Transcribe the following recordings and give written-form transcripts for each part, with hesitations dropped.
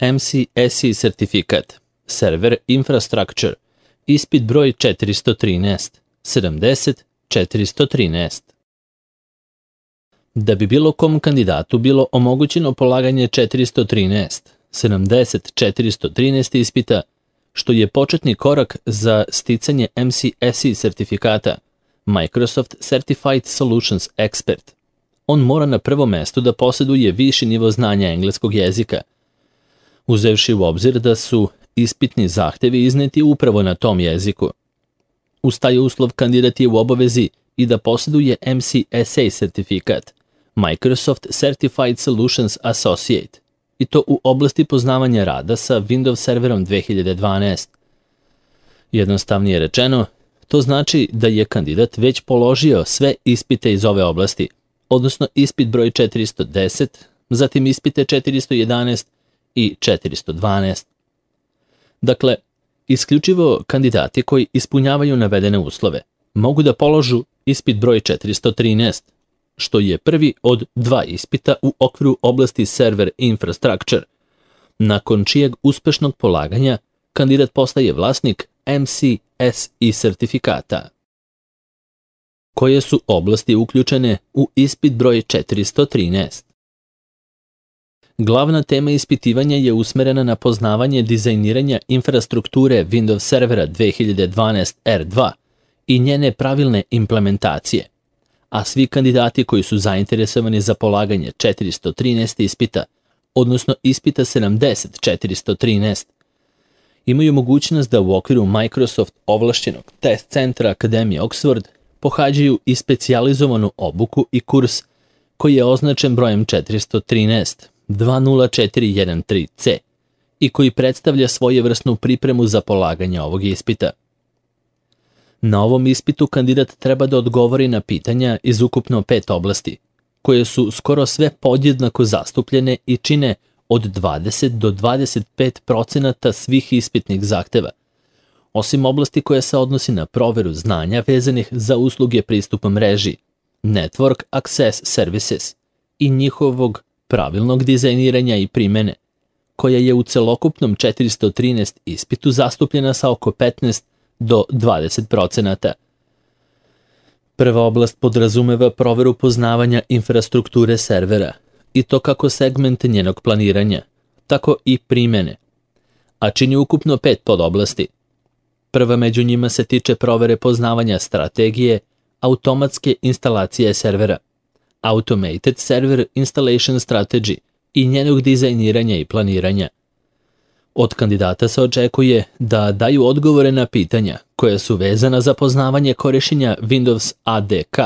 MCSE sertifikat, Server Infrastructure, ispit broj 413, 70-413. Da bi bilo kom kandidatu bilo omogućeno polaganje 413, 70-413 ispita, što je početni korak za sticanje MCSE sertifikata, Microsoft Certified Solutions Expert, on mora na prvom mestu da posjeduje viši nivo znanja engleskog jezika, uzevši u obzir da su ispitni zahtevi izneti upravo na tom jeziku. Uz taj uslov kandidat je u obavezi i da posjeduje MCSA sertifikat, Microsoft Certified Solutions Associate, i to u oblasti poznavanja rada sa Windows serverom 2012. Jednostavnije rečeno, to znači da je kandidat već položio sve ispite iz ove oblasti, odnosno ispit broj 410, zatim ispite 411 i 412. Dakle, isključivo kandidati koji ispunjavaju navedene uslove mogu da položu ispit broj 413, što je prvi od dva ispita u okviru oblasti Server Infrastructure, nakon čijeg uspešnog polaganja kandidat postaje vlasnik MCSE sertifikata. Koje su oblasti uključene u ispit broj 413? Glavna tema ispitivanja je usmerena na poznavanje dizajniranja infrastrukture Windows servera 2012 R2 i njene pravilne implementacije, a svi kandidati koji su zainteresovani za polaganje 413 ispita, odnosno ispita 70-413, imaju mogućnost da u okviru Microsoft ovlašćenog test centra Akademije Oxford pohađaju i specijalizovanu obuku i kurs koji je označen brojem 413 20413C i koji predstavlja svojevrsnu pripremu za polaganje ovog ispita. Na ovom ispitu kandidat treba da odgovori na pitanja iz ukupno 5 oblasti, koje su skoro sve podjednako zastupljene i čine od 20 do 25% svih ispitnih zahteva, osim oblasti koja se odnosi na proveru znanja vezanih za usluge pristupa mreži, Network Access Services i njihovog pravilnog dizajniranja i primene, koja je u celokupnom 413 ispitu zastupljena sa oko 15 do 20%. Prva oblast podrazumeva proveru poznavanja infrastrukture servera, i to kako segment njenog planiranja, tako i primene, a čini ukupno 5 podoblasti. Prva među njima se tiče provere poznavanja strategije automatske instalacije servera, Automated Server Installation Strategy, i njenog dizajniranja i planiranja. Od kandidata se očekuje da daju odgovore na pitanja koja su vezana za poznavanje korišćenja Windows ADK,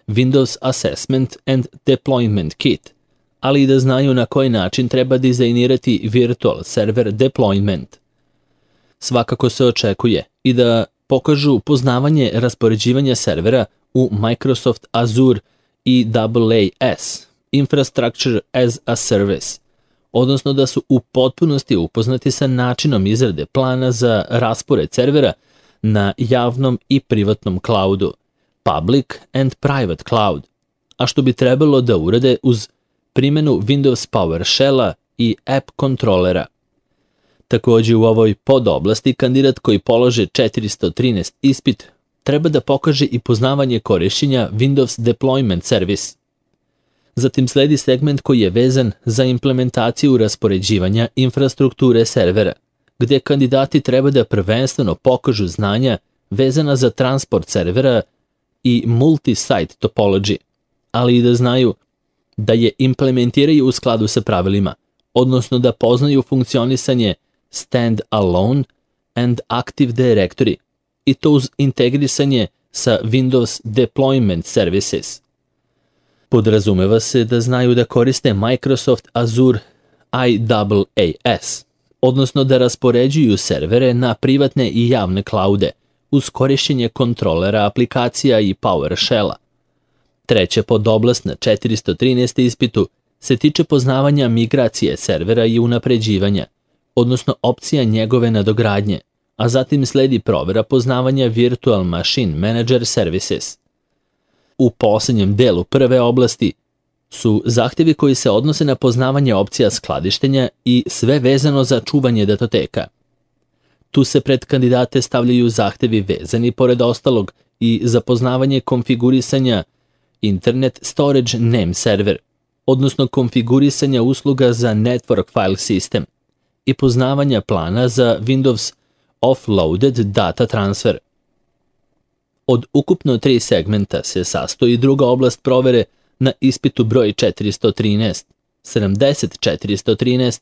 Windows Assessment and Deployment Kit, ali i da znaju na koji način treba dizajnirati Virtual Server Deployment. Svakako se očekuje i da pokažu poznavanje raspoređivanja servera u Microsoft Azure i IaaS, Infrastructure as a Service, odnosno da su u potpunosti upoznati sa načinom izrade plana za raspored servera na javnom i privatnom cloudu, Public and Private Cloud, a što bi trebalo da urade uz primjenu Windows PowerShell-a i App Controllera. Također u ovoj podoblasti kandidat koji polože 413 ispit treba da pokaže i poznavanje korišćenja Windows Deployment Service. Zatim sledi segment koji je vezan za implementaciju raspoređivanja infrastrukture servera, gdje kandidati treba da prvenstveno pokažu znanja vezana za transport servera i multi-site topology, ali i da znaju da je implementiraju u skladu sa pravilima, odnosno da poznaju funkcionisanje Stand-alone and Active Directory, i to uz integrisanje sa Windows Deployment Services. Podrazumeva se da znaju da koriste Microsoft Azure IaaS, odnosno da raspoređuju servere na privatne i javne klaude uz korišćenje kontrolera aplikacija i PowerShell-a. Treća podoblast na 413 ispitu se tiče poznavanja migracije servera i unapređivanja, odnosno opcija njegove nadogradnje, a zatim sledi provera poznavanja Virtual Machine Manager Services. U posljednjem delu prve oblasti su zahtjevi koji se odnose na poznavanje opcija skladištenja i sve vezano za čuvanje datoteka. Tu se pred kandidate stavljaju zahtjevi vezani pored ostalog i za poznavanje konfigurisanja Internet Storage Name Server, odnosno konfigurisanja usluga za Network File System i poznavanja plana za Windows Offloaded Data Transfer. Od ukupno 3 segmenta se sastoji druga oblast provere na ispitu broj 413, 70-413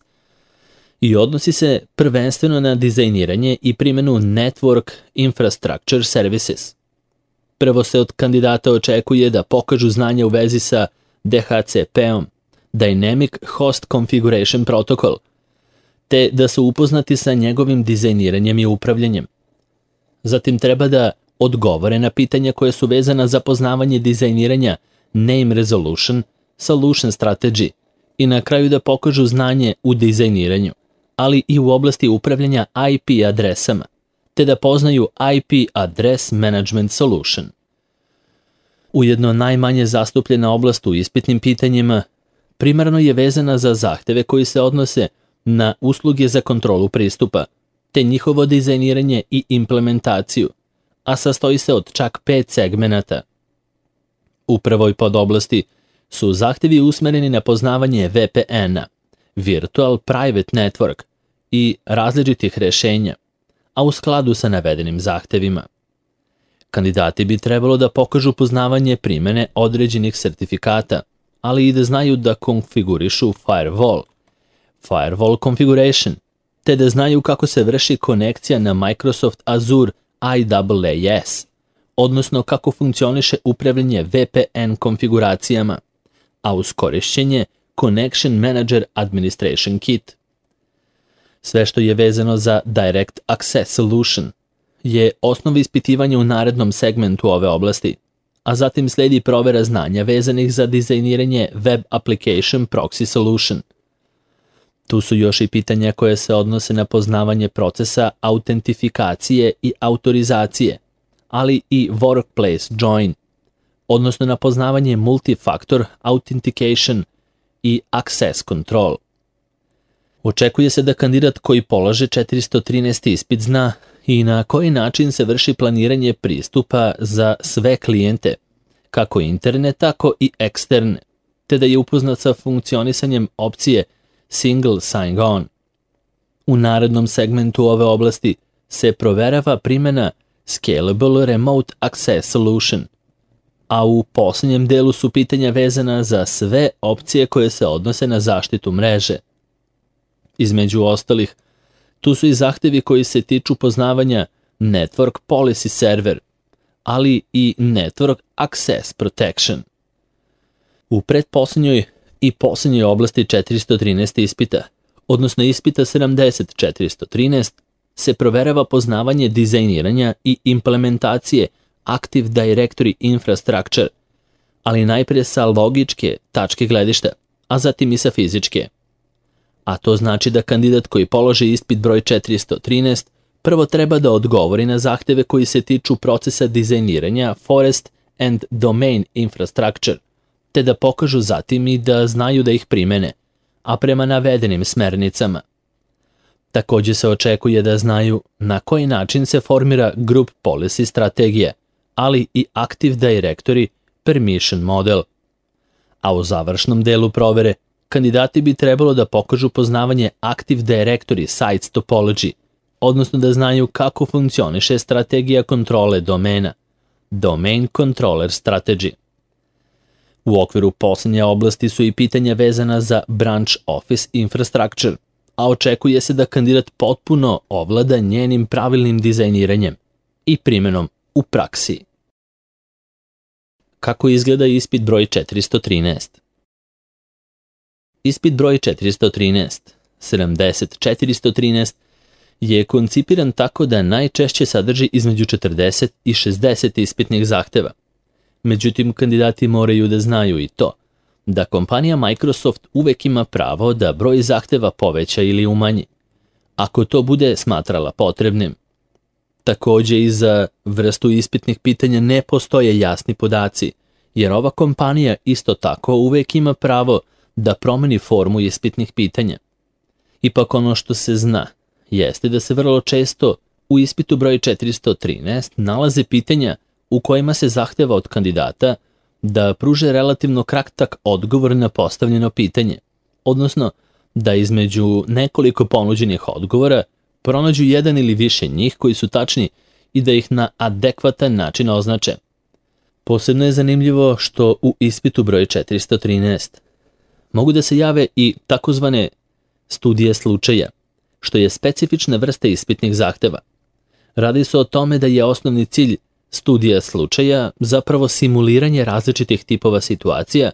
i odnosi se prvenstveno na dizajniranje i primjenu Network Infrastructure Services. Prvo se od kandidata očekuje da pokažu znanje u vezi sa DHCP-om, Dynamic Host Configuration Protocol, te da su upoznati sa njegovim dizajniranjem i upravljanjem. Zatim treba da odgovore na pitanja koje su vezana za poznavanje dizajniranja Name Resolution, Solution Strategy i na kraju da pokažu znanje u dizajniranju, ali i u oblasti upravljanja IP adresama, te da poznaju IP Address Management Solution. Ujedno najmanje zastupljena oblast u ispitnim pitanjima primarno je vezana za zahteve koji se odnose na usluge za kontrolu pristupa, te njihovo dizajniranje i implementaciju, a sastoji se od čak 5 segmenata. U prvoj podoblasti su zahtjevi usmereni na poznavanje VPN-a, Virtual Private Network i različitih rješenja, a u skladu sa navedenim zahtjevima. Kandidati bi trebalo da pokažu poznavanje primjene određenih sertifikata, ali i da znaju da konfigurišu firewall configuration, te da znaju kako se vrši konekcija na Microsoft Azure IaaS, odnosno kako funkcioniše upravljanje VPN konfiguracijama, a uz korišćenje Connection Manager Administration Kit. Sve što je vezano za Direct Access Solution je osnov ispitivanja u narednom segmentu ove oblasti, a zatim slijedi provera znanja vezanih za dizajniranje Web Application Proxy Solution. Tu su još i pitanja koje se odnose na poznavanje procesa autentifikacije i autorizacije, ali i Workplace Join, odnosno na poznavanje Multifactor Authentication i Access Control. Očekuje se da kandidat koji polaže 413. ispit zna i na koji način se vrši planiranje pristupa za sve klijente, kako interne, tako i eksterne, te da je upoznat sa funkcionisanjem opcije Single Sign-On. U narednom segmentu ove oblasti se proverava primjena Scalable Remote Access Solution, a u posljednjem delu su pitanja vezana za sve opcije koje se odnose na zaštitu mreže. Između ostalih, tu su i zahtjevi koji se tiču poznavanja Network Policy Server, ali i Network Access Protection. U pretposljednjoj i posljednjoj oblasti 413 ispita, odnosno ispita 70-413, se proverava poznavanje dizajniranja i implementacije Active Directory Infrastructure, ali najprije sa logičke tačke gledišta, a zatim i sa fizičke. A to znači da kandidat koji položi ispit broj 413 prvo treba da odgovori na zahtjeve koji se tiču procesa dizajniranja Forest and Domain Infrastructure, te da pokažu zatim i da znaju da ih primene, a prema navedenim smernicama. Također se očekuje da znaju na koji način se formira Group Policy strategija, ali i Active Directory Permission Model. A u završnom delu provere kandidati bi trebalo da pokažu poznavanje Active Directory Sites Topology, odnosno da znaju kako funkcioniše strategija kontrole domena, Domain Controller Strategy. U okviru posljednje oblasti su i pitanja vezana za Branch Office Infrastructure, a očekuje se da kandidat potpuno ovlada njenim pravilnim dizajniranjem i primjenom u praksi. Kako izgleda ispit broj 413? Ispit broj 413, 70-413, je koncipiran tako da najčešće sadrži između 40 i 60 ispitnih zahtjeva. Međutim, kandidati moraju da znaju i to, da kompanija Microsoft uvek ima pravo da broj zahtjeva poveća ili umanji, ako to bude smatrala potrebnim. Također i za vrstu ispitnih pitanja ne postoje jasni podaci jer ova kompanija isto tako uvek ima pravo da promeni formu ispitnih pitanja. Ipak ono što se zna jeste da se vrlo često u ispitu broj 413 nalaze pitanja u kojima se zahteva od kandidata da pruže relativno kratak odgovor na postavljeno pitanje, odnosno da između nekoliko ponuđenih odgovora pronađu jedan ili više njih koji su tačni i da ih na adekvatan način označe. Posebno je zanimljivo što u ispitu broj 413 mogu da se jave i takozvane studije slučaja, što je specifična vrsta ispitnih zahteva. Radi se o tome da je osnovni cilj studija slučaja zapravo simuliranje različitih tipova situacija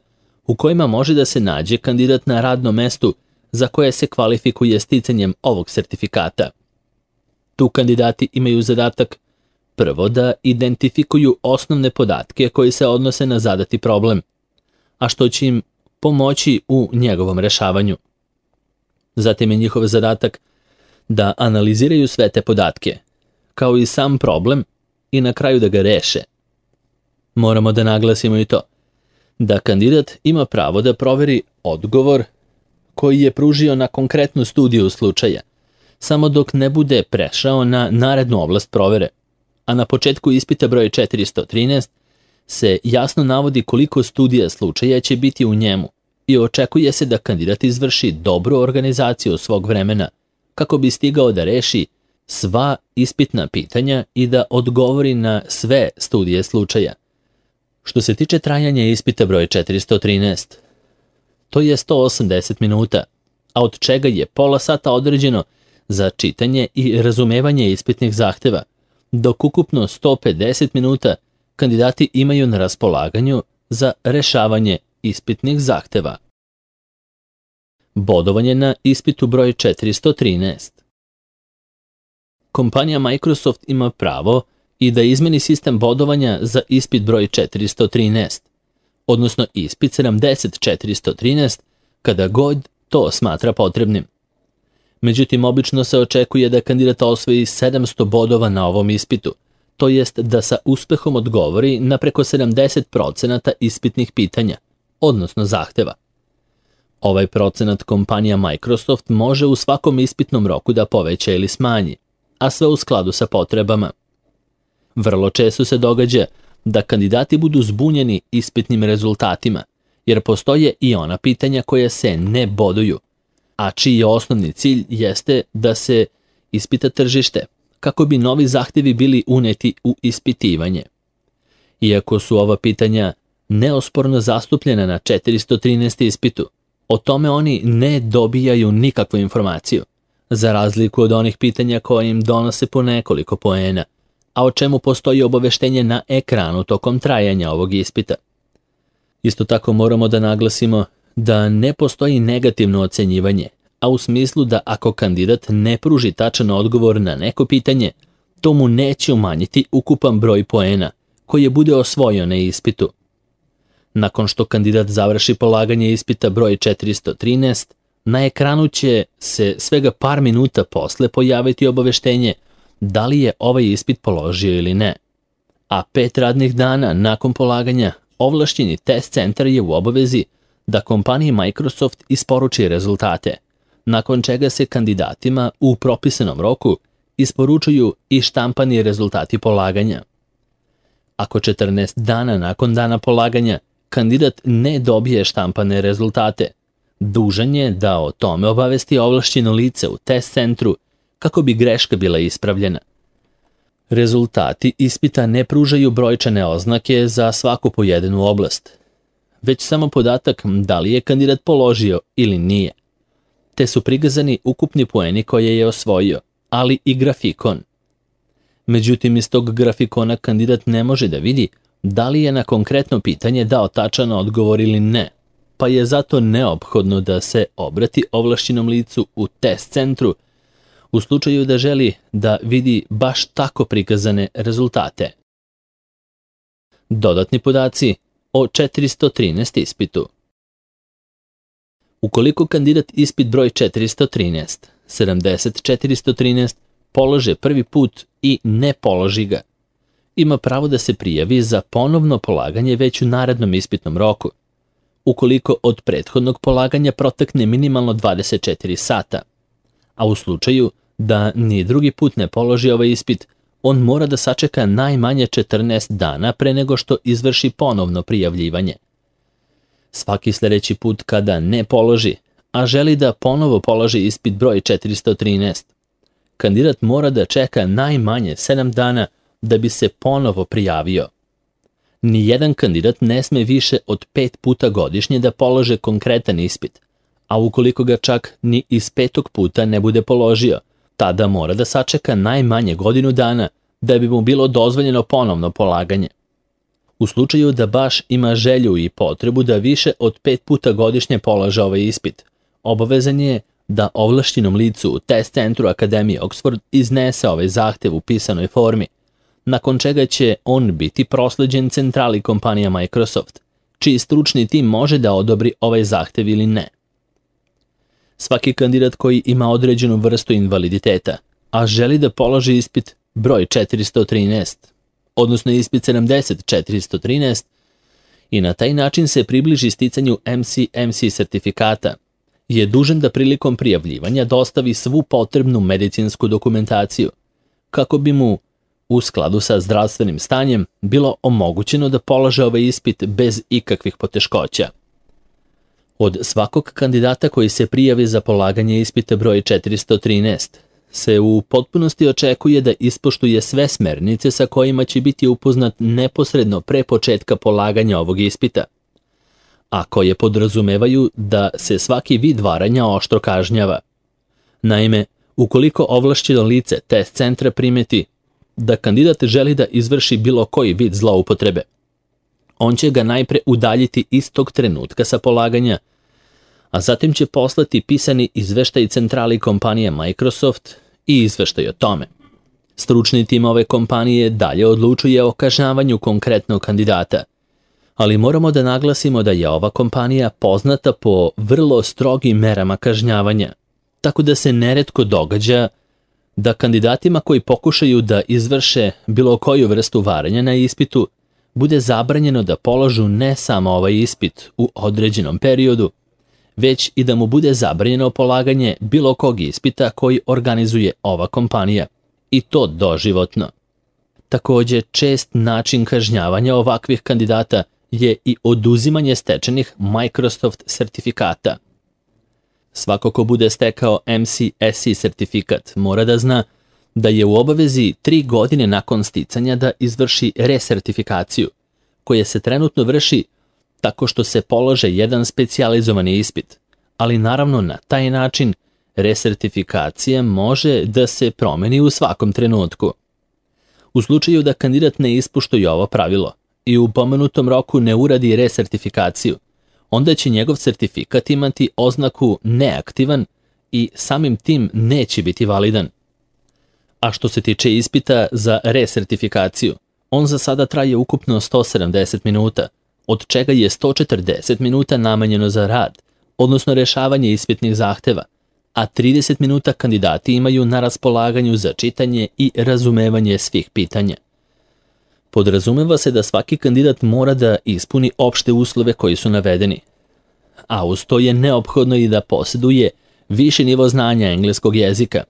u kojima može da se nađe kandidat na radnom mestu za koje se kvalifikuje sticanjem ovog sertifikata. Tu kandidati imaju zadatak prvo da identifikuju osnovne podatke koji se odnose na zadati problem, a što će im pomoći u njegovom rešavanju. Zatim je njihov zadatak da analiziraju sve te podatke, kao i sam problem, i na kraju da ga reše. Moramo da naglasimo i to, da kandidat ima pravo da proveri odgovor koji je pružio na konkretnu studiju slučaja, samo dok ne bude prešao na narednu oblast provere, a na početku ispita broj 413 se jasno navodi koliko studija slučaja će biti u njemu i očekuje se da kandidat izvrši dobru organizaciju svog vremena kako bi stigao da reši sva ispitna pitanja i da odgovori na sve studije slučaja. Što se tiče trajanja ispita broj 413, to je 180 minuta, a od čega je pola sata određeno za čitanje i razumevanje ispitnih zahteva, dok ukupno 150 minuta kandidati imaju na raspolaganju za rešavanje ispitnih zahteva. Bodovanje na ispitu broj 413. Kompanija Microsoft ima pravo i da izmeni sistem bodovanja za ispit broj 413, odnosno ispit 70413, kada god to smatra potrebnim. Međutim, obično se očekuje da kandidat osvoji 700 bodova na ovom ispitu, to jest da sa uspehom odgovori na preko 70% ispitnih pitanja, odnosno zahteva. Ovaj procenat kompanija Microsoft može u svakom ispitnom roku da poveća ili smanji, a sve u skladu sa potrebama. Vrlo često se događa da kandidati budu zbunjeni ispitnim rezultatima, jer postoje i ona pitanja koja se ne boduju, a čiji osnovni cilj jeste da se ispita tržište, kako bi novi zahtevi bili uneti u ispitivanje. Iako su ova pitanja neosporno zastupljena na 413 ispitu, o tome oni ne dobijaju nikakvu informaciju, za razliku od onih pitanja koje im donose po nekoliko poena, a o čemu postoji obaveštenje na ekranu tokom trajanja ovog ispita. Isto tako moramo da naglasimo da ne postoji negativno ocenjivanje, a u smislu da ako kandidat ne pruži tačan odgovor na neko pitanje, to mu neće umanjiti ukupan broj poena koji je bude osvojio na ispitu. Nakon što kandidat završi polaganje ispita broj 413, na ekranu će se svega par minuta posle pojaviti obaveštenje da li je ovaj ispit položio ili ne. A 5 radnih dana nakon polaganja ovlašćeni test centar je u obavezi da kompaniji Microsoft isporuči rezultate, nakon čega se kandidatima u propisanom roku isporučuju i štampani rezultati polaganja. Ako 14 dana nakon dana polaganja kandidat ne dobije štampane rezultate, dužan je da o tome obavesti ovlašćeno lice u test centru kako bi greška bila ispravljena. Rezultati ispita ne pružaju brojčane oznake za svaku pojedinu oblast, već samo podatak da li je kandidat položio ili nije, te su prikazani ukupni poeni koje je osvojio, ali i grafikon. Međutim, iz tog grafikona kandidat ne može da vidi da li je na konkretno pitanje dao tačan odgovor ili ne, pa je zato neophodno da se obrati ovlašćenom licu u test centru u slučaju da želi da vidi baš tako prikazane rezultate. Dodatni podaci o 413 ispitu. Ukoliko kandidat ispit broj 413, 70413 polože prvi put i ne položi ga, ima pravo da se prijavi za ponovno polaganje već u narednom ispitnom roku, ukoliko od prethodnog polaganja protekne minimalno 24 sata, a u slučaju da ni drugi put ne položi ovaj ispit, on mora da sačeka najmanje 14 dana pre nego što izvrši ponovno prijavljivanje. Svaki sljedeći put kada ne položi, a želi da ponovo položi ispit broj 413, kandidat mora da čeka najmanje 7 dana da bi se ponovo prijavio. Nijedan kandidat ne sme više od 5 puta godišnje da polože konkretan ispit, a ukoliko ga čak ni iz 5. puta ne bude položio, tada mora da sačeka najmanje godinu dana da bi mu bilo dozvoljeno ponovno polaganje. U slučaju da baš ima želju i potrebu da više od 5 puta godišnje polaže ovaj ispit, obavezan je da ovlašćenom licu u test centru Akademije Oxford iznese ovaj zahtev u pisanoj formi, nakon čega će on biti prosleđen centrali kompanija Microsoft, čiji stručni tim može da odobri ovaj zahtev ili ne. Svaki kandidat koji ima određenu vrstu invaliditeta, a želi da položi ispit broj 413, odnosno ispit 70-413, i na taj način se približi sticanju MC sertifikata, je dužan da prilikom prijavljivanja dostavi svu potrebnu medicinsku dokumentaciju, kako bi mu, u skladu sa zdravstvenim stanjem, bilo omogućeno da polaže ovaj ispit bez ikakvih poteškoća. Od svakog kandidata koji se prijavi za polaganje ispita broj 413, se u potpunosti očekuje da ispoštuje sve smernice sa kojima će biti upoznat neposredno pre početka polaganja ovog ispita, a koje podrazumevaju da se svaki vid varanja oštro kažnjava. Naime, ukoliko ovlašćeno lice test centra primeti da kandidat želi da izvrši bilo koji vid zloupotrebe, on će ga najpre udaljiti istog trenutka sa polaganja, a zatim će poslati pisani izveštaj centrali kompanije Microsoft i izveštaj o tome. Stručni tim ove kompanije dalje odlučuje o kažnjavanju konkretnog kandidata, ali moramo da naglasimo da je ova kompanija poznata po vrlo strogim merama kažnjavanja, tako da se neretko događa da kandidatima koji pokušaju da izvrše bilo koju vrstu varanja na ispitu bude zabranjeno da položu ne samo ovaj ispit u određenom periodu, već i da mu bude zabranjeno polaganje bilo kog ispita koji organizuje ova kompanija, i to doživotno. Također, čest način kažnjavanja ovakvih kandidata je i oduzimanje stečenih Microsoft sertifikata. Svako ko bude stekao MCSE sertifikat mora da zna da je u obavezi 3 godine nakon sticanja da izvrši resertifikaciju, koja se trenutno vrši tako što se polože jedan specijalizovani ispit, ali naravno na taj način resertifikacija može da se promeni u svakom trenutku. U slučaju da kandidat ne ispoštuje ovo pravilo i u pomenutom roku ne uradi resertifikaciju, onda će njegov sertifikat imati oznaku neaktivan i samim tim neće biti validan. A što se tiče ispita za resertifikaciju, on za sada traje ukupno 170 minuta, od čega je 140 minuta namenjeno za rad, odnosno rešavanje ispitnih zahteva, a 30 minuta kandidati imaju na raspolaganju za čitanje i razumevanje svih pitanja. Podrazumeva se da svaki kandidat mora da ispuni opšte uslove koji su navedeni, a uz to je neophodno i da posjeduje viši nivo znanja engleskog jezika,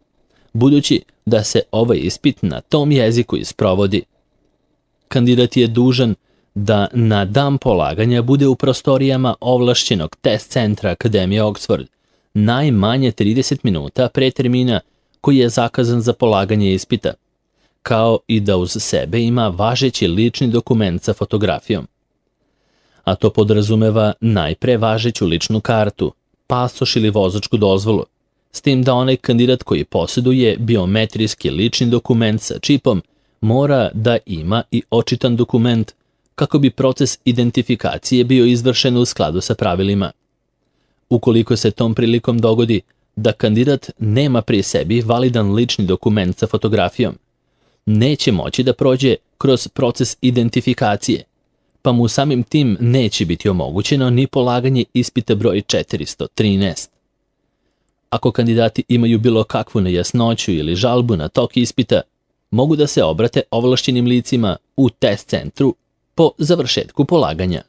budući da se ovaj ispit na tom jeziku isprovodi. Kandidat je dužan da na dan polaganja bude u prostorijama ovlašćenog test centra Akademije Oxford najmanje 30 minuta pre termina koji je zakazan za polaganje ispita, kao i da uz sebe ima važeći lični dokument sa fotografijom. A to podrazumeva najpre važeću ličnu kartu, pasoš ili vozačku dozvolu, s tim da onaj kandidat koji posjeduje biometrijski lični dokument sa čipom mora da ima i očitan dokument kako bi proces identifikacije bio izvršen u skladu sa pravilima. Ukoliko se tom prilikom dogodi da kandidat nema pri sebi validan lični dokument sa fotografijom, neće moći da prođe kroz proces identifikacije, pa mu samim tim neće biti omogućeno ni polaganje ispita broj 413. Ako kandidati imaju bilo kakvu nejasnoću ili žalbu na tok ispita, mogu da se obrate ovlašćenim licima u test centru po završetku polaganja.